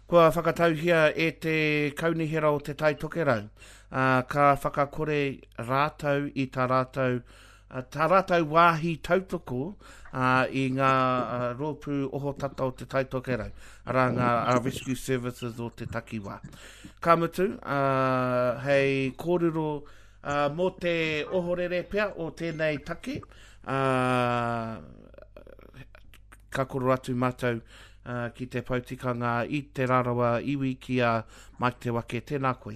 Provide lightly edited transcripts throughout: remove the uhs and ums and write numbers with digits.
Kua whakatauhia e te Kaunihera o Te Tai Tokerau, ā, ka whakakore rātou i tā rātou, tā rātou wāhi tautoko ā, i ngā rōpū ohotata o Te Tai Tokerau, arā ngā Rescue Services o te takiwā. Ka mutu, ā, hei kōrero ā, mō te ohorere pea o tēnei take, ā, ka koro atu mātou ki te pou tikanga i Te Rarawa iwi ki a Mike Te Wake. Tēnā koe.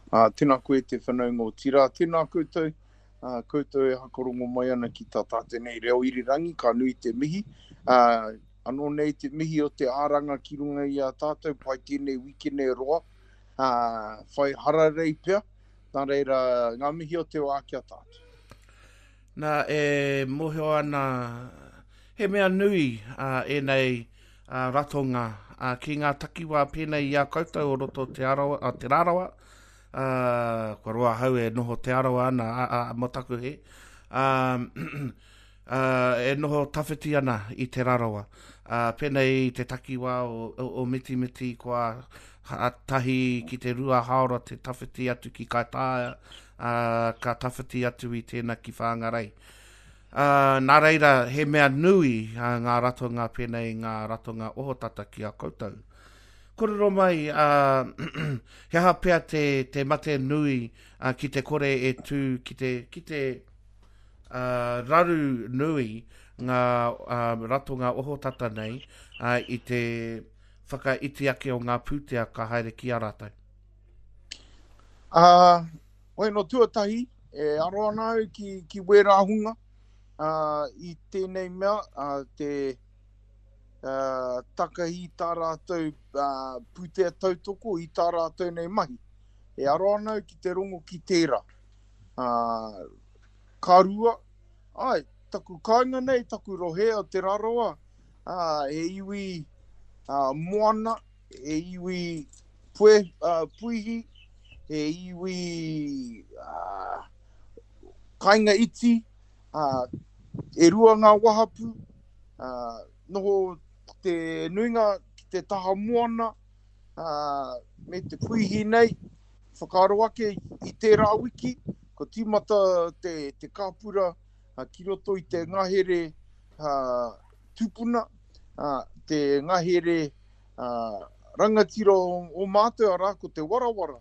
Uh, tēnā koe te whanaunga o Tira. Tēnā koutou, uh, koutou e hakarongo mai ana ki tā tātou nei reo irirangi, ka nui te mihi. Uh, anō nei te mihi o te āranga ki runga i a tātou, pai tēnei wikene roa, uh, whai hararei pea, nā reira, ngā mihi o te wā ki a tātou. Nā, e mōhio ana, he mea nui ēnei ratonga ki ngā takiwā pēnei i a koutou o roto Te Arawa, a Te Rarawa, kua roa ahau e noho Te Arawa ana, a, a, mō taku he, a, a, e noho tawhiti ana i Te Rarawa. A, pēnei i te takiwā o, o, o Mitimiti, kua tahi ki te rua haora te tawhiti atu ki Kaitāia, ā, ka tawhiti atu i tēnā ki Whāngarei. Ā, nā reira, he mea nui ā, ngā ratonga pēnei i ngā ratonga ohotata ki a koutou. Kōrero mai, ā, he aha pea te, te mate nui ā, ki te kore e tū, ki te, ki te ā, raru nui ngā ā, ratonga ohotata nei ā, i te whakaiti ake o ngā pūtea ka haere ki a rātou? Ā, hoi no tuatahi, e aro ana au ki, ki wērā hunga ā, i tēnei mea, ā, te ā, takahi tā rātou ā, pūtea tautoko i tā rātou nei mahi. E aro ana au ki te rongo ki tērā. Ā, ka rua, ai, taku kāinga nei, taku rohe o Te Rarawa, ā, he iwi ā, moana, he iwi pue, uh, puihi, he iwi uh, kainga iti, uh, e rua ngā wahapu, uh, noho te nuinga ki te taha moana, uh, me te puihi nei, whakaaro ake i tērā wiki, ko tīmata te, te kāpura uh, ki roto i te ngahere uh, tupuna, uh, te ngahere rangatira o, o mātou, arā, ko te warawara.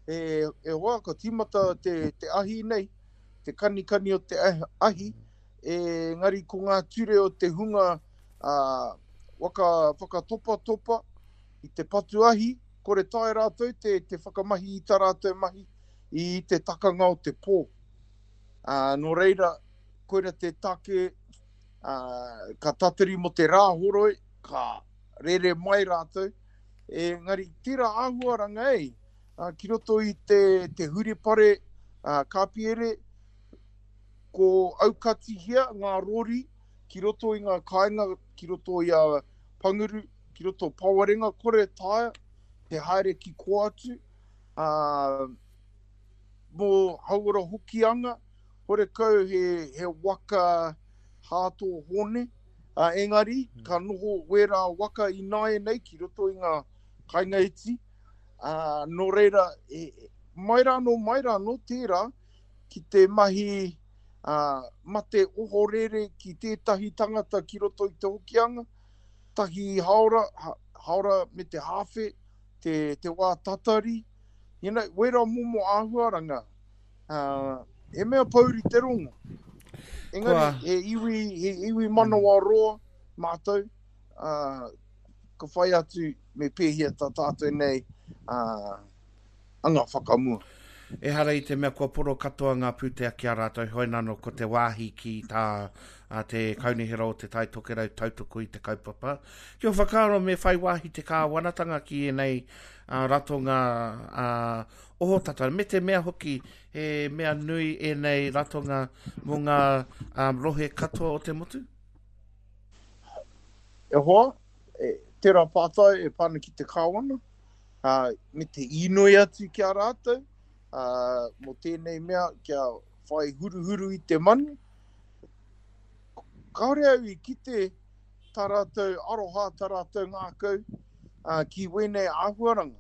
E, e hoa, ka tīmata te, te ahi nei, te kanikani o te ahi, e, ngari ko ngā ture o te hunga a, waka, whakatopatopa i te patu ahi, kore tae rātou te, te whakamahi i tā rātou mahi i te takanga o te pō. Ā, nō reira, koira te take, ā, ka tatari mō te rā horoi, ka rere mai rātou, engari tērā āhuaranga ei, ki roto i te, te huripare kāpiere, ko aukatihia ngā rori ki roto i ngā kāinga, ki roto i a Panguru, ki roto Pawarenga, kore taea te haere ki kō atu, ā, mō Hauora Hokianga, horekau he, he waka Hāto Hōne, Ā, engari, ka noho wērā waka ināianei ki roto i ngā kainga iti, ā, nō reira, e, mai rānō, mai rānō tērā ki te mahi ā, mate ohorere ki tētahi tangata ki roto i te Hokianga, tahi haora, ha, haora me te hāwhe, te, te wā tatari, you know, wērā momo āhuaranga. Uh, he mea pouri te rongo. Engari, Kua... he iwi, he iwi manawa mm. roa mātou, uh, ka whai atu me pēhea tā tātou nei uh, anga whakamua. Ehara i te mea kua poro katoa ngā pūtea ki a rātou, hoi nano ko te wāhi ki tā a te Kaunihera o Te Tai Tokerau tautoko i te kaupapa. Ki o whakaaro me whai wāhi te kāwanatanga ki ēnei uh, ratonga uh, ohotata, me te mea hoki he mea nui ēnei ratonga mō ngā um, rohe katoa o te motu? E hoa, e, tērā pātai e pāna ki te kāwana, uh, me te īnoi atu ki a rātou, uh, mō tēnei mea kia whai huruhuru i te manu. Kāore au i kite tā rātou aroha, tā rātou ngākau. ki wēnei āhuaranga.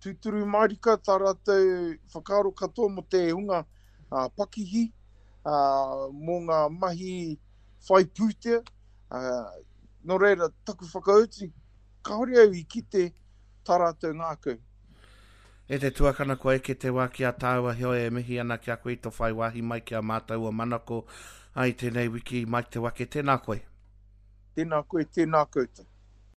Tūturu mārika tā rātou whakaaro katoa mō te hunga pakihi, mō ngā mahi whai pūtea. Nō reira, taku whakautu, kāore au i kite tā rātou ngākau. E te tuakana kua eke te wā ki a tāua heoi e mihi ana ki a koe i to whai wāhi mai ki a mātou o Manako i tēnei wiki Mike Te Wake tēnā koe. Tēnā koe, tēnā koutou.